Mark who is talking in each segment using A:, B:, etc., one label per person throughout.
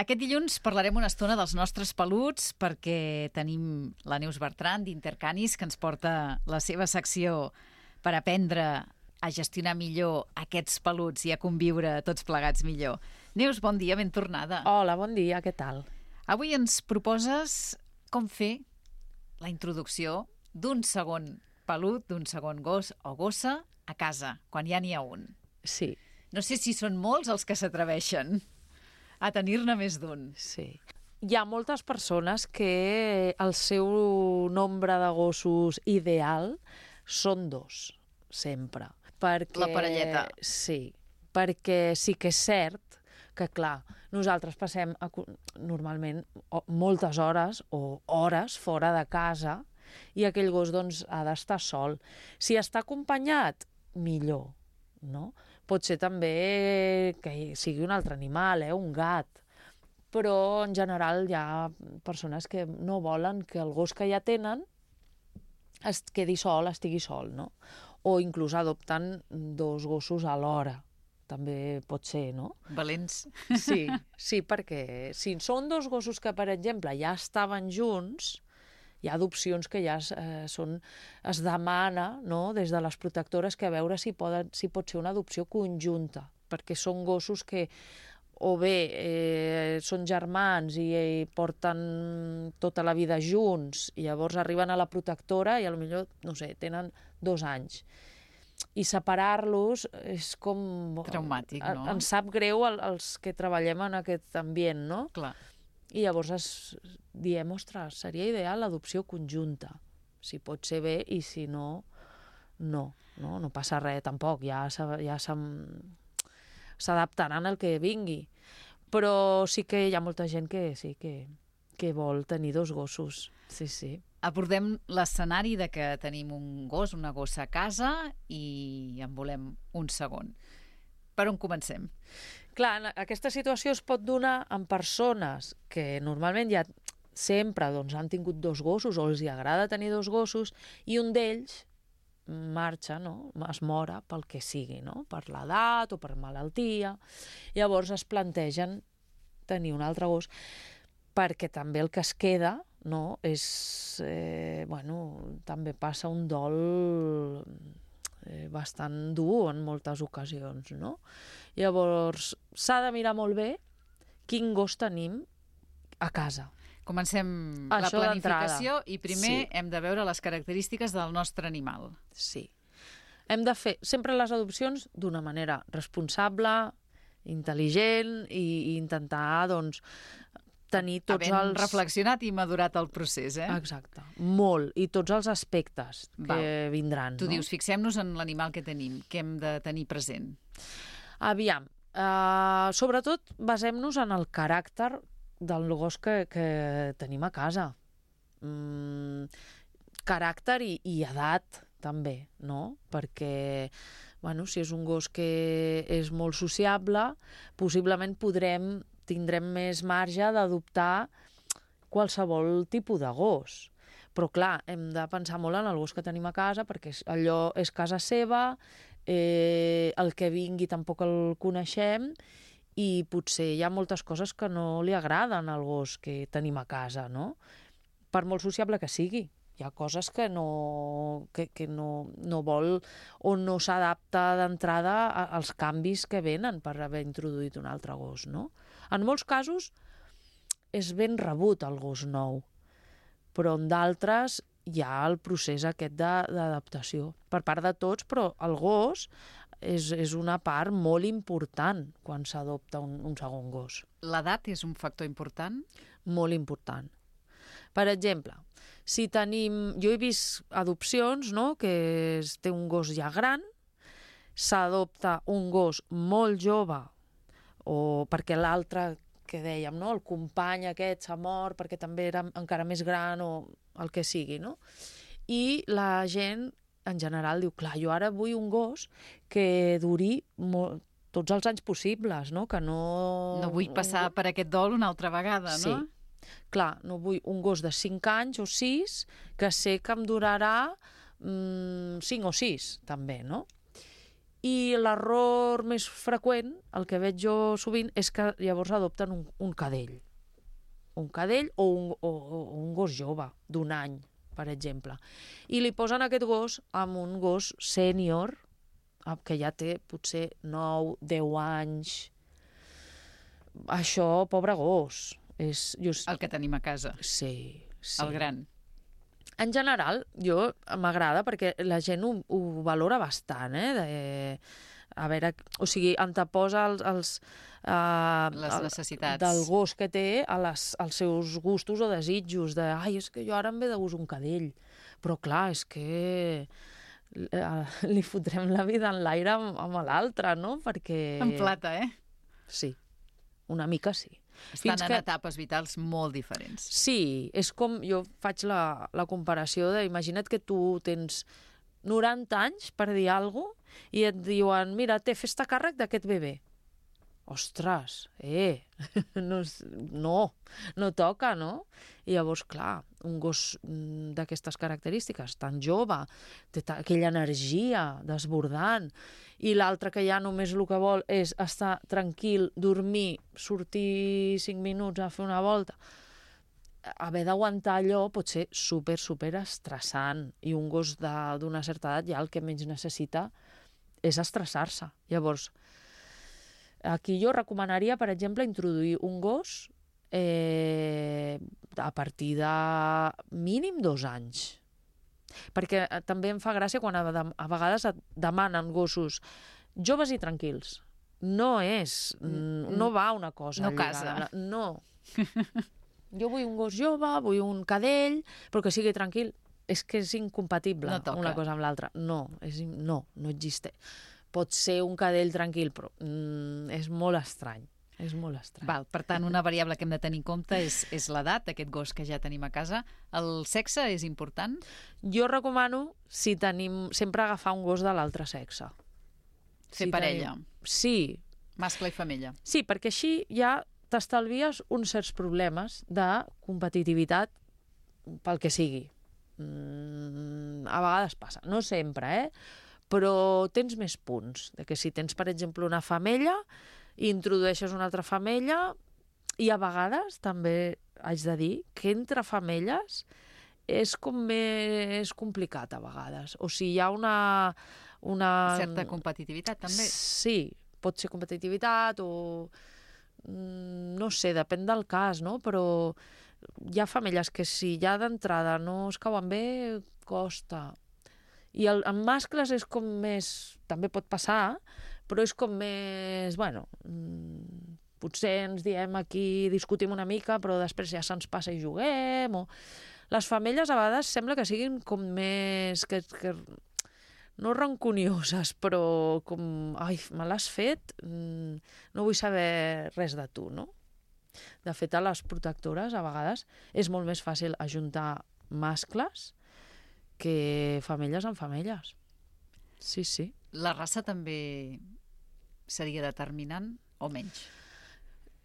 A: Aquest dilluns parlarem una estona dels nostres peluts perquè tenim la Neus Bertran d'Intercanis que ens porta la seva secció per aprendre a gestionar millor aquests peluts i a conviure tots plegats millor. Neus, bon dia, ben tornada.
B: Hola, bon dia, què tal?
A: Avui ens proposes com fer la introducció d'un segon pelut, d'un segon gos o gossa a casa, quan ja n'hi ha un.
B: Sí.
A: No sé si són molts els que s'atreveixen a tenir-ne més d'un.
B: Sí. Hi ha moltes persones que el seu nombre de gossos ideal són 2, sempre. Perquè,
A: la parelleta.
B: Sí, perquè sí que és cert que, clar, nosaltres passem normalment moltes hores o hores fora de casa i aquell gos doncs, ha d'estar sol. Si està acompanyat, millor, no? Pot ser també que sigui un altre animal, un gat, però en general hi ha persones que no volen que el gos que ja tenen es quedi sol, estigui sol, no? O inclús adopten 2 gossos alhora, també pot ser, no?
A: Valents.
B: Sí, perquè si són 2 gossos que, per exemple, ja estaven junts, hi ha adopcions que ja es demana, no?, des de les protectores, que a veure si pot ser una adopció conjunta, perquè són gossos que o bé són germans i porten tota la vida junts i llavors arriben a la protectora i potser, no sé, tenen 2 anys. I separar-los és com...
A: traumàtic, no?
B: Ens sap greu als que treballem en aquest ambient, no?
A: Clar.
B: I llavors diem, ostres, seria ideal l'adopció conjunta. Si pot ser bé i si no, no passa res tampoc, ja s'adaptaran al que vingui. Però sí que hi ha molta gent que sí que vol tenir 2 gossos. Sí.
A: Abordem l'escenari de que tenim un gos, una gossa a casa i en volem un segon. Per on comencem?
B: Clar, aquesta situació es pot donar en persones que normalment ja sempre han tingut 2 gossos o els agrada tenir 2 gossos i un d'ells marxa, no? Es mora pel que sigui, no? Per l'edat o per malaltia. Llavors es plantegen tenir un altre gos perquè també el que es queda, no? És, també passa un dol bastant dur en moltes ocasions, no? Llavors s'ha de mirar molt bé quin gos tenim a casa.
A: Comencem la planificació i primer hem de veure les característiques del nostre animal.
B: Sí. Hem de fer sempre les adopcions d'una manera responsable, intel·ligent i intentar, doncs, tenir tots
A: havent reflexionat i madurat el procés,
B: Exacte. Molt. I tots els aspectes que vindran.
A: Tu dius, fixem-nos en l'animal que tenim, que hem de tenir present.
B: Aviam. Sobretot basem-nos en el caràcter del gos que tenim a casa. Caràcter i edat, també, no? Perquè, si és un gos que és molt sociable, possiblement tindrem més marge d'adoptar qualsevol tipus de gos. Però, clar, hem de pensar molt en el gos que tenim a casa, perquè allò és casa seva, el que vingui tampoc el coneixem, i potser hi ha moltes coses que no li agraden al gos que tenim a casa, no? Per molt sociable que sigui. Hi ha coses que no vol o no s'adapta d'entrada als canvis que venen per haver introduït un altre gos, no? En molts casos és ben rebut el gos nou, però en d'altres hi ha el procés aquest d'adaptació per part de tots, però el gos és una part molt important quan s'adopta un segon gos.
A: L'edat és un factor important?
B: Molt important. Per exemple, si tenim... Jo he vist adopcions, no?, que té un gos ja gran, s'adopta un gos molt jove, o perquè l'altre, que dèiem, no?, el company aquest s'ha mort perquè també era encara més gran o el que sigui, no? I la gent, en general, diu, clar, jo ara vull un gos que duri tots els anys possibles, no? Que no...
A: No vull passar per aquest dol una altra vegada, no?
B: Sí. Clar, no vull un gos de 5 anys o 6 que sé que em durarà 5 o 6, també, no? I l'error més freqüent, el que veig jo sovint, és que llavors adopten un cadell. Un cadell o un gos jove, d'1 any, per exemple. I li posen aquest gos amb un gos sènior, que ja té potser 9, 10 anys. Això, pobre gos.
A: El que tenim a casa.
B: Sí.
A: El gran.
B: En general, m'agrada perquè la gent ho valora bastant, a veure, o sigui, anteposa les
A: necessitats
B: del gos que té als seus gustos o desitjos, és que jo ara em ve de gust un cadell, però clar, és que li fotrem la vida en l'aire amb l'altre, no? Perquè...
A: En plata,
B: Sí, una mica sí.
A: Estan en etapes vitals molt diferents.
B: Sí, és com, jo faig la comparació imagina't que tu tens 90 anys, per dir alguna cosa, i et diuen, mira, fes-te càrrec d'aquest bebè. Ostres, no toca, no? I llavors, clar, un gos d'aquestes característiques, tan jove, té aquella energia desbordant, i l'altre que ja només el que vol és estar tranquil, dormir, sortir 5 minuts a fer una volta, haver d'aguantar allò pot ser super estressant, i un gos d'una certa edat ja el que menys necessita és estressar-se. Llavors, aquí jo recomanaria, per exemple, introduir un gos a partir de mínim 2 anys. Perquè també em fa gràcia quan a vegades et demanen gossos joves i tranquils. No va una cosa
A: no
B: lligada.
A: casa.
B: No. Jo vull un gos jove, vull un cadell, però que sigui tranquil. És que és incompatible una cosa amb l'altra. No existeix. Pot ser un cadell tranquil, però és molt estrany. És molt estrany.
A: Val, per tant, una variable que hem de tenir en compte és l'edat d'aquest gos que ja tenim a casa. El sexe és important?
B: Jo recomano, si tenim, sempre agafar un gos de l'altre sexe.
A: Fer parella?
B: Sí.
A: Mascle i femella?
B: Sí, perquè així ja t'estalvies uns certs problemes de competitivitat pel que sigui. A vegades passa, no sempre, però tens més punts. Que si tens, per exemple, una femella i introdueixes una altra femella, i a vegades també haig de dir que entre femelles és com més complicat a vegades. O sigui, hi ha una...
A: Certa competitivitat, també?
B: Sí, pot ser competitivitat o... no sé, depèn del cas, no? Però hi ha femelles que si ja d'entrada no es cauen bé, costa. I en mascles és com més... També pot passar, però és com més... potser ens diem aquí, discutim una mica, però després ja se'ns passa i juguem, o... Les femelles a vegades sembla que siguin com més... que no rancunioses, però com... Ai, me l'has fet? No vull saber res de tu, no? De fet, a les protectores, a vegades, és molt més fàcil ajuntar mascles que femelles amb femelles. Sí, sí.
A: La raça també seria determinant o menys?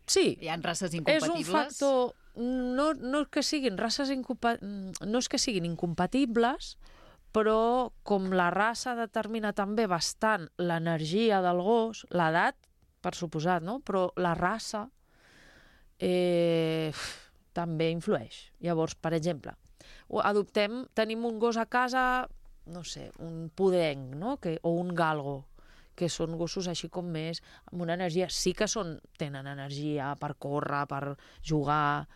B: Sí.
A: Hi ha races incompatibles?
B: És un factor... No és que siguin races no és que siguin incompatibles, però com la raça determina també bastant l'energia del gos, l'edat, per suposat, no? Però la raça també influeix. Llavors, per exemple, tenim un gos a casa, no sé, un pudenc, no? O un galgo, que són gossos així com més, amb una energia, sí que tenen energia per córrer, per jugar,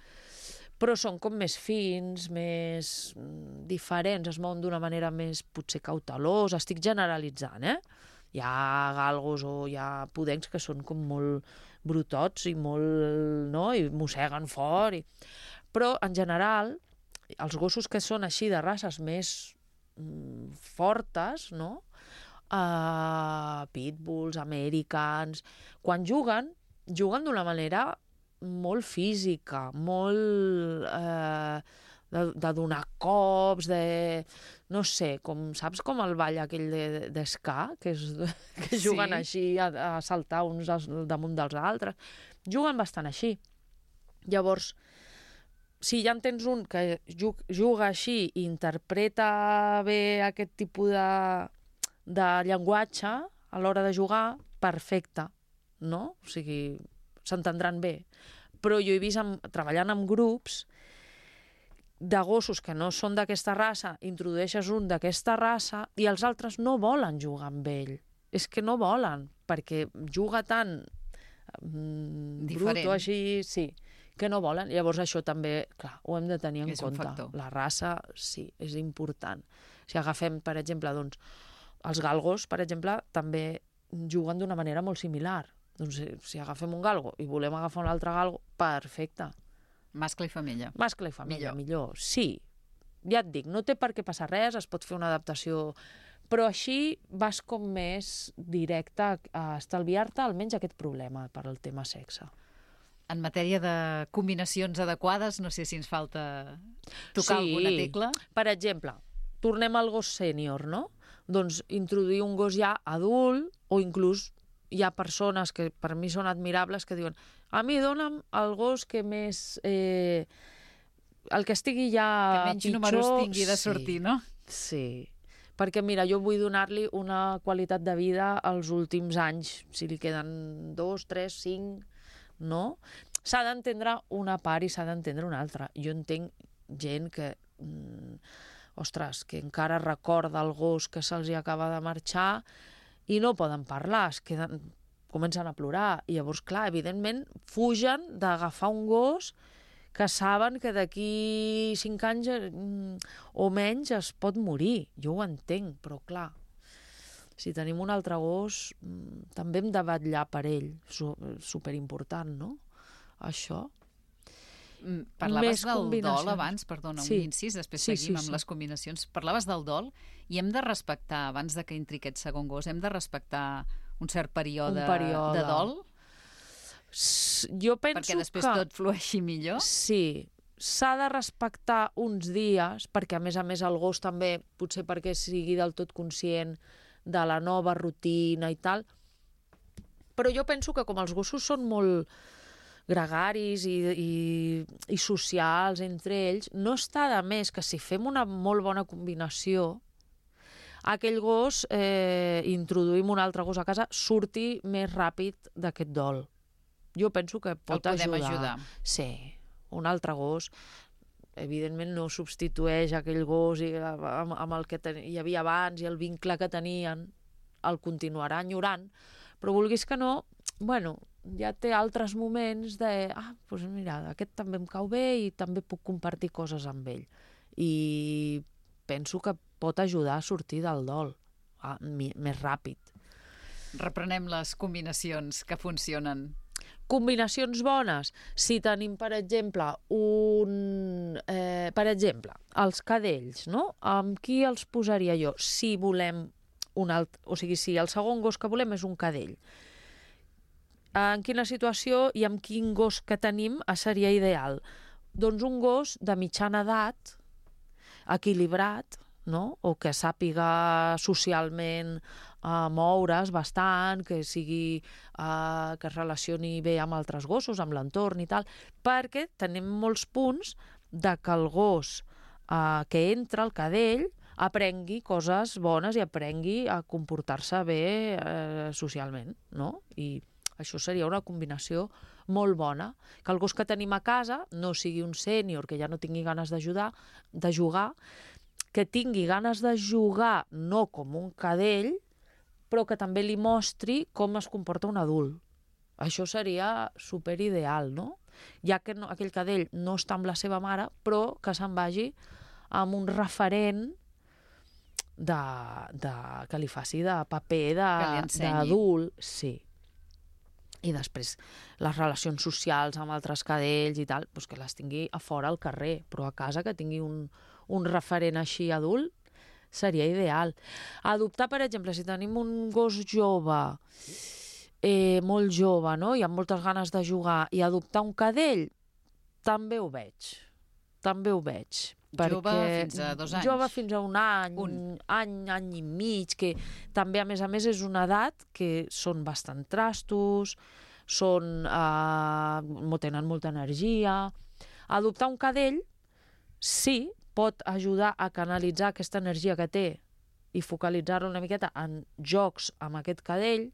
B: però són com més fins, més diferents, es mouen d'una manera més potser cautelosa, estic generalitzant, Hi ha galgos o hi ha pudencs que són com molt brutots i molt, no?, i mosseguen fort. Però, en general, els gossos que són així de races més fortes, no?, pitbulls, americans, quan juguen d'una manera molt física, molt de donar cops, no sé, saps com el ball aquell d'esca, que juguen així a saltar uns damunt dels altres? Juguen bastant així. Llavors, si ja en tens un que juga així i interpreta bé aquest tipus de llenguatge, a l'hora de jugar, perfecte, no? O sigui, s'entendran bé. Però jo he vist, treballant amb grups de gossos que no són d'aquesta raça, introdueixes un d'aquesta raça i els altres no volen jugar amb ell. És que no volen, perquè juga tan brut o així, sí, que no volen. Llavors això també, clar, ho hem de tenir en compte. La raça, sí, és important. Si agafem, per exemple, doncs, els galgos, per exemple, també juguen d'una manera molt similar. Doncs si agafem un galgo i volem agafar un altre galgo, perfecte.
A: Mascle i femella.
B: Mascle i femella, millor. Sí, ja et dic, no té per què passar res, es pot fer una adaptació, però així vas com més directe a estalviar-te almenys aquest problema per al tema sexe.
A: En matèria de combinacions adequades, no sé si ens falta tocar alguna tecla.
B: Per exemple, tornem al gos sènior, no? Doncs introduir un gos ja adult, o inclús hi ha persones que per mi són admirables que diuen a mi dona'm el gos que més... el que estigui ja pitjor...
A: Que menys números tingui de sortir, no?
B: Sí. Perquè, mira, jo vull donar-li una qualitat de vida als últims anys, si li queden 2, 3, 5, no? S'ha d'entendre una part i s'ha d'entendre una altra. Jo entenc gent que, ostres, que encara recorda el gos que se'ls acaba de marxar i no poden parlar, es queden, comencen a plorar. I llavors, clar, evidentment, fugen d'agafar un gos que saben que d'aquí 5 anys o menys es pot morir. Jo ho entenc, però clar, si tenim un altre gos, també hem de vetllar per ell. Superimportant, no? Això.
A: Parlaves del dol abans, perdona, un incís, després seguim amb les combinacions. Parlaves del dol i hem de respectar, abans de que entri aquest segon gos, hem de respectar un cert període de dol?
B: Jo penso
A: perquè després tot flueixi millor?
B: Sí, s'ha de respectar uns dies, perquè a més el gos també, potser perquè sigui del tot conscient de la nova rutina i tal, però jo penso que com els gossos són molt gregaris i socials entre ells, no està de més que si fem una molt bona combinació, aquell gos, introduïm un altre gos a casa, surti més ràpid d'aquest dol. Jo penso que pot ajudar. Sí, un altre gos, evidentment no substitueix aquell gos amb el que hi havia abans i el vincle que tenien, el continuarà enyorant, però vulguis que no, bueno, ja té altres moments de, doncs mira, aquest també em cau bé i també puc compartir coses amb ell. I penso que pot ajudar a sortir del dol més ràpid.
A: Reprenem les combinacions que funcionen.
B: Combinacions bones. Si tenim, per exemple, els cadells, no? Amb qui els posaria jo? Si volem o sigui, si el segon gos que volem és un cadell, en quina situació i amb quin gos que tenim seria ideal? Doncs un gos de mitjana edat, equilibrat, no? O que sàpiga socialment moure's bastant, que que es relacioni bé amb altres gossos, amb l'entorn i tal, perquè tenim molts punts de que el gos que entra, el cadell, aprengui coses bones i aprengui a comportar-se bé socialment, no? I això seria una combinació molt bona, que el gos que tenim a casa no sigui un sènior que ja no tingui ganes de jugar, que tingui ganes de jugar no com un cadell, però que també li mostri com es comporta un adult. Això seria superideal, no? Ja que aquell cadell no està amb la seva mare, però que se'n vagi amb un referent que li faci de paper d'adult. Sí. I després les relacions socials amb altres cadells i tal, doncs que les tingui a fora al carrer, però a casa que tingui un referent així adult seria ideal. Adoptar, per exemple, si tenim un gos jove, molt jove, no? I amb moltes ganes de jugar, i adoptar un cadell, també ho veig.
A: Jove fins a 2 anys.
B: Jove fins a un any i mig, que també, a més, és una edat que són bastant trastos, tenen molta energia. Adoptar un cadell, sí, pot ajudar a canalitzar aquesta energia que té i focalitzar-lo una miqueta en jocs amb aquest cadell,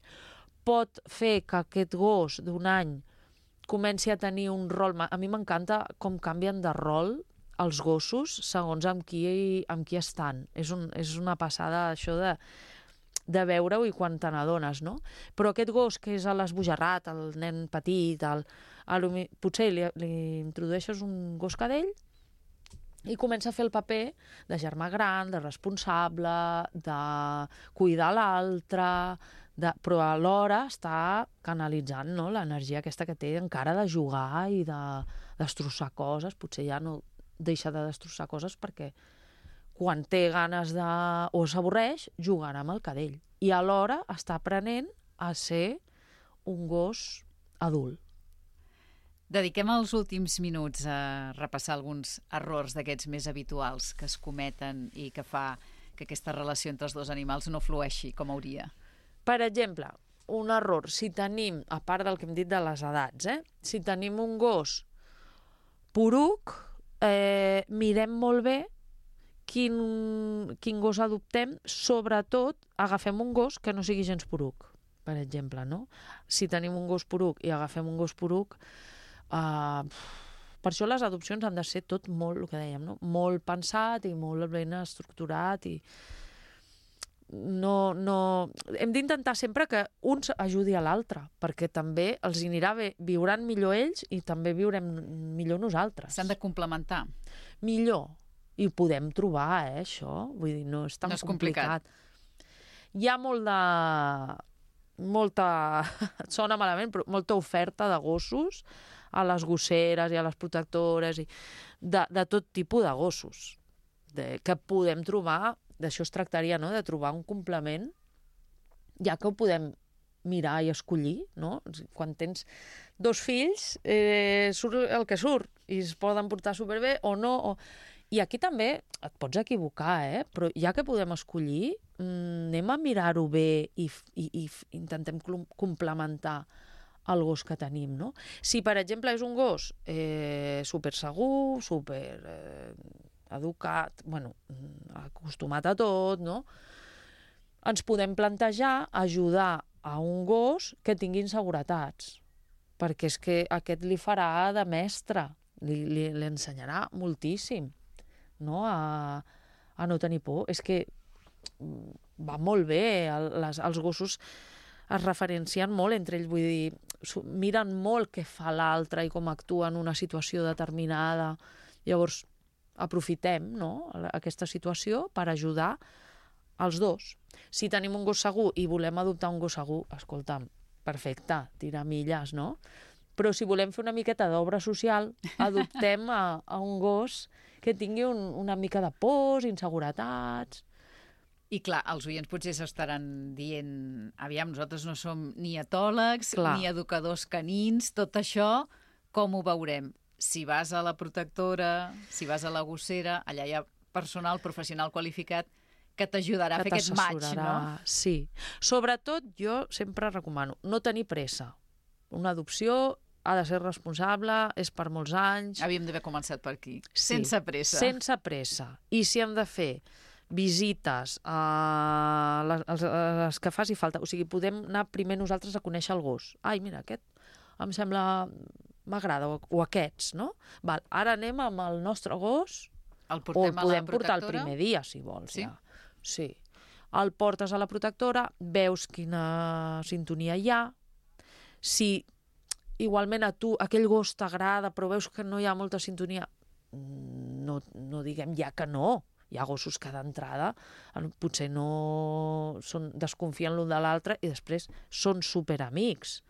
B: pot fer que aquest gos d'un any comenci a tenir un rol... A mi m'encanta com canvien de rol els gossos segons amb qui estan. És una passada això de veure-ho i quan te n'adones, no? Però aquest gos que és a l'esbojarrat, el nen petit, potser li introdueixes un gos cadell i comença a fer el paper de germà gran, de responsable, de cuidar l'altre, però alhora està canalitzant, no?, l'energia aquesta que té encara de jugar i de destrossar coses. Potser ja no deixa de destrossar coses perquè quan té ganes o s'avorreix, jugarà amb el cadell. I alhora està aprenent a ser un gos adult.
A: Dediquem els últims minuts a repassar alguns errors d'aquests més habituals que es cometen i que fa que aquesta relació entre els dos animals no flueixi com hauria.
B: Per exemple, un error, si tenim, a part del que hem dit de les edats, si tenim un gos poruc, mirem molt bé quin gos adoptem, sobretot agafem un gos que no sigui gens poruc, per exemple, no? Si tenim un gos poruc i agafem un gos poruc, per això les adopcions han de ser tot molt, el que dèiem, no? Molt pensat i molt ben estructurat i no... Hem d'intentar sempre que un ajudi a l'altre, perquè també els anirà bé, viuran millor ells i també viurem millor nosaltres.
A: S'han de complementar.
B: Millor. I ho podem trobar, això. Vull dir, no és tan complicat. Hi ha molta... Sona malament, però molta oferta de gossos a les gosseres i a les protectores, de tot tipus de gossos que podem trobar. D'això es tractaria, no?, de trobar un complement, ja que ho podem mirar i escollir, no? Quan tens 2 fills, surt el que surt, i es poden portar superbé o no. I aquí també et pots equivocar, però ja que podem escollir, anem a mirar-ho bé i intentem complementar el gos que tenim, no? Si, per exemple, és un gos super segur, super educat, acostumat a tot, no? Ens podem plantejar ajudar a un gos que tingui inseguretats, perquè és que aquest li farà de mestre, li ensenyarà moltíssim, no? A no tenir por. És que va molt bé, els gossos es referencien molt entre ells, vull dir, miren molt què fa l'altre i com actua en una situació determinada. Llavors, aprofitem, no?, aquesta situació per ajudar els dos. Si tenim un gos segur i volem adoptar un gos segur, escolta'm, perfecte, tirar milles, no? Però si volem fer una miqueta d'obra social, adoptem a un gos que tingui una mica de pors, inseguretats.
A: I clar, els oients potser s'estaran dient, aviam, nosaltres no som ni etòlegs, ni educadors canins, tot això, com ho veurem? Si vas a la protectora, si vas a la gossera, allà hi ha personal professional qualificat que t'ajudarà a fer aquest match, no?
B: Sí. Sobretot, jo sempre recomano no tenir pressa. Una adopció ha de ser responsable, és per molts anys.
A: Havíem d'haver començat per aquí.
B: Sí,
A: sense pressa.
B: Sense pressa. I si hem de fer visites a les que faci falta, o sigui, podem anar primer nosaltres a conèixer el gos. Ai, mira, aquest em sembla... m'agrada, o aquests, no? Val, ara anem amb el nostre gos,
A: el portem
B: o el podem portar el primer dia, si vols.
A: Sí?
B: Ja. Sí. El portes a la protectora, veus quina sintonia hi ha. Si igualment a tu aquell gos t'agrada, però veus que no hi ha molta sintonia, no diguem ja que no. Hi ha gossos que d'entrada potser no desconfien l'un de l'altre i després són superamics.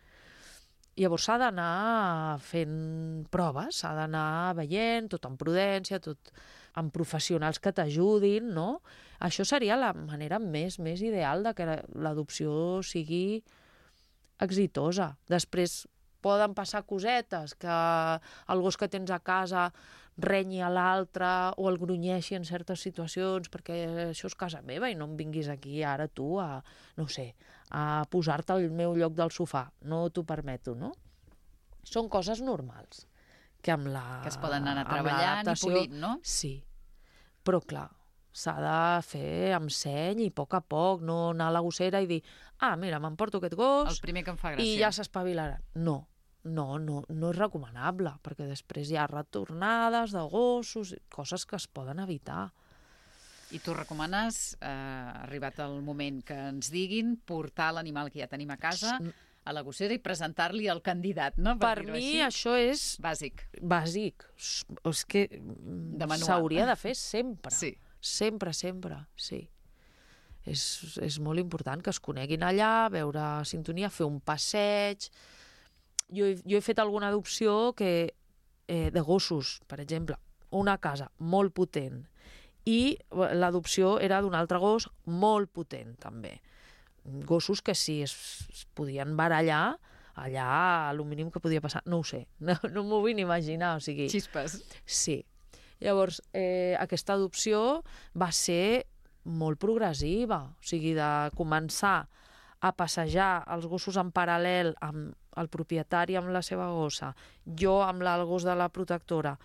B: Llavors s'ha d'anar fent proves, s'ha d'anar veient, tot amb prudència, tot amb professionals que t'ajudin, no? Això seria la manera més ideal de que l'adopció sigui exitosa. Després poden passar cosetes, que el gos que tens a casa renyi a l'altre o el grunyeixi en certes situacions, perquè això és casa meva i no em vinguis aquí ara tu a, no sé, a posar-te al meu lloc del sofà. No t'ho permeto, no? Són coses normals. Que amb la...
A: Que es poden anar treballant i polint, no?
B: Sí. Però clar, s'ha de fer amb seny i a poc, no anar a la gossera i dir mira, m'emporto aquest gos
A: El primer que em fa gràcia.
B: i ja s'espavilarà. No és recomanable, perquè després hi ha retornades de gossos, coses que es poden evitar.
A: I tu recomanes, arribat el moment que ens diguin, portar l'animal que ja tenim a casa a la gossera i presentar-li al candidat, no?
B: Per mi això és
A: bàsic.
B: És que s'hauria de fer sempre.
A: Sí.
B: Sempre, sí. És molt important que es coneguin allà, veure sintonia, fer un passeig. Jo he fet alguna adopció de gossos, per exemple, una casa molt potent, i l'adopció era d'un altre gos molt potent, també. Gossos que si es podien barallar, allà el mínim que podia passar, no ho sé, no m'ho vull ni imaginar, o sigui...
A: Xispes.
B: Sí. Llavors, aquesta adopció va ser molt progressiva, o sigui, de començar a passejar els gossos en paral·lel amb el propietari amb la seva gossa, jo amb el gos de la protectora,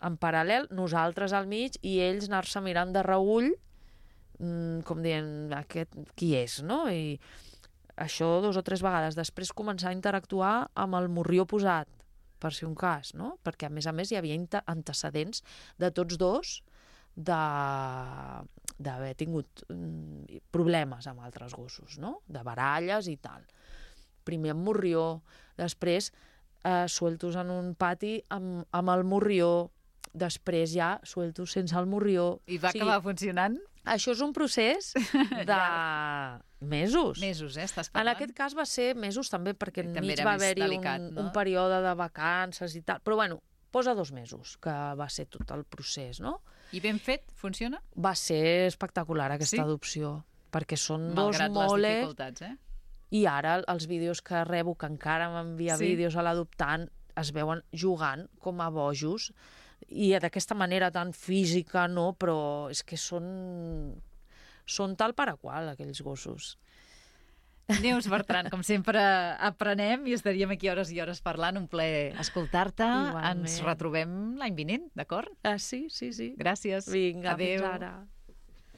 B: en paral·lel, nosaltres al mig i ells anar-se mirant de reüll, com dient, aquest qui és, no? I això 2 o 3 vegades. Després començar a interactuar amb el morrió posat, per si un cas, no? Perquè, a més, hi havia antecedents de tots dos d'haver tingut problemes amb altres gossos, no? De baralles i tal. Primer amb morrió, després sueltos en un pati amb el morrió, després ja sueltos sense el morrió.
A: I va acabar funcionant?
B: Això és un procés de mesos.
A: Mesos, estàs parlant?
B: En aquest cas va ser mesos també, perquè enmig va haver-hi un període de vacances i tal. Però bueno, posa 2 mesos, que va ser tot el procés, no?
A: I ben fet? Funciona?
B: Va ser espectacular aquesta adopció, perquè són dos moles...
A: Malgrat les dificultats,
B: I ara els vídeos que rebo, que encara m'envia vídeos a l'adoptant, es veuen jugant com a bojos, i d'aquesta manera tan física, no? Però és que són tal per a qual, aquells gossos.
A: Neus Bertran, com sempre aprenem i estaríem aquí hores i hores parlant. Un plaer escoltar-te. Ens retrobem l'any vinent, d'acord?
B: Sí.
A: Gràcies.
B: Vinga,
A: adéu.
B: Fins ara.